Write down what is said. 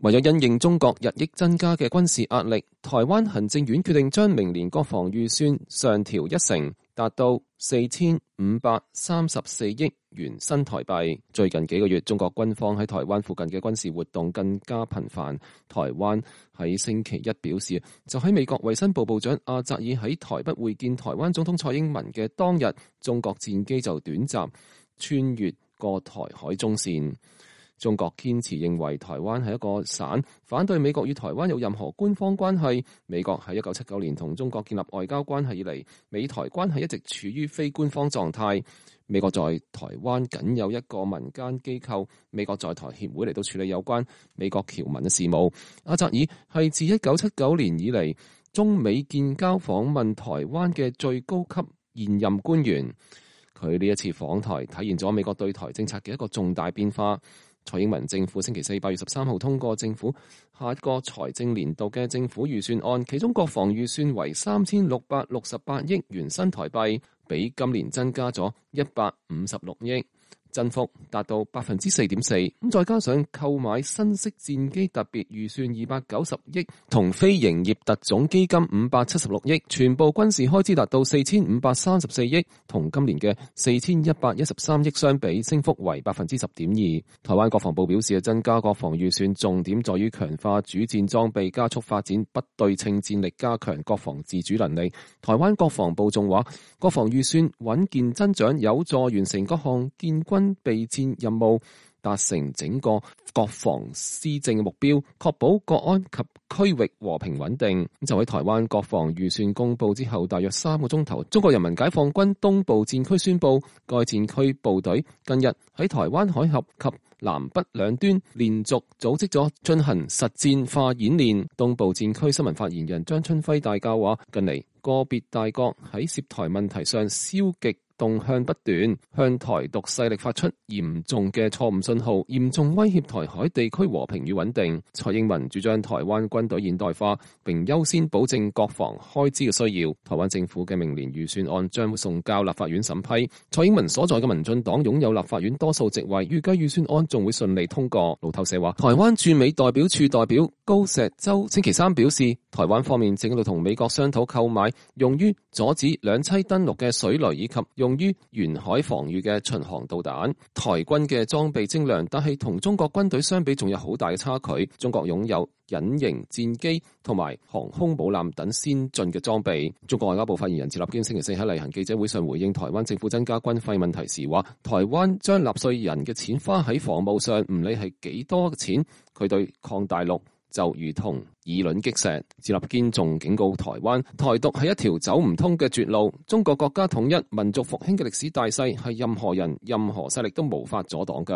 為咗因應中國日益增加嘅軍事壓力，台灣行政院決定將明年國防預算上調1成，達到4534億元新台幣。最近幾個月，中國軍方喺台灣附近嘅軍事活動更加頻繁。台灣喺星期一表示，就喺美國衛生部部長阿扎爾喺台北會見台灣總統蔡英文嘅當日，中國戰機就短暫穿越過台海中線。中國堅持認為台灣係一個省，反對美國與台灣有任何官方關係。美國喺1979年同中國建立外交關係以嚟，美台關係一直處於非官方狀態。美國在台灣僅有一個民間機構美國在台協會嚟到處理有關美國僑民嘅事務。阿扎爾係自1979年以嚟中美建交訪問台灣嘅最高級現任官員。佢呢一次訪台體現咗美國對台政策嘅一個重大變化。蔡英文政府星期四8月13號通過政府下一個財政年度嘅政府預算案，其中國防預算為3668億元新台幣，比今年增加咗156億。增幅達到 4.4%， 再加上購買新式戰機特別預算290億同非營業特種基金576億，全部軍事開支達到4534億，同今年嘅4113億相比，升幅為 10.2%。台灣國防部表示，增加國防預算重點在於強化主戰裝備，加速發展不對稱戰力，加強國防自主能力。台灣國防部仲話，國防預算穩健增長，有助完成各項建軍備戰任務，達成整個國防施政嘅目標，確保國安及區域和平穩定。就喺台灣國防預算公布之後大約3個鐘頭，中國人民解放軍東部戰區宣布，該戰區部隊近日喺台灣海峽及南北兩端連續組織咗進行實戰化演練。東部戰區新聞發言人張春輝大校話，近嚟個別大國喺涉台問題上消極動向不斷，向台獨勢力發出嚴重嘅錯誤信號，嚴重威脅台海地區和平與穩定。蔡英文主張台灣軍隊現代化，並優先保證國防開支嘅需要。台灣政府嘅明年預算案將會送交立法院審批。蔡英文所在嘅民進黨擁有立法院多數席位，預計預算案仲會順利通過。路透社話，台灣駐美代表處代表高石洲星期三表示，台灣方面正喺度同美國商討購買用於阻止兩棲登陸嘅水雷，以及用於沿海防禦嘅巡航導彈。台軍嘅裝備精良，但係同中國軍隊相比仲有好大嘅差距。中國擁有隱形戰機同埋航空母艦等先進嘅裝備。中國外交部發言人趙立堅星期四喺例行記者會上回應台灣政府增加軍費問題時話，台灣將納稅人嘅錢花喺防務上，唔理係幾多嘅錢，佢對抗大陸就如同以卵擊石。趙立堅仲警告台灣，台獨係一條走唔通嘅絕路，中國國家統一、民族復興嘅歷史大勢係任何人、任何勢力都無法阻擋㗎。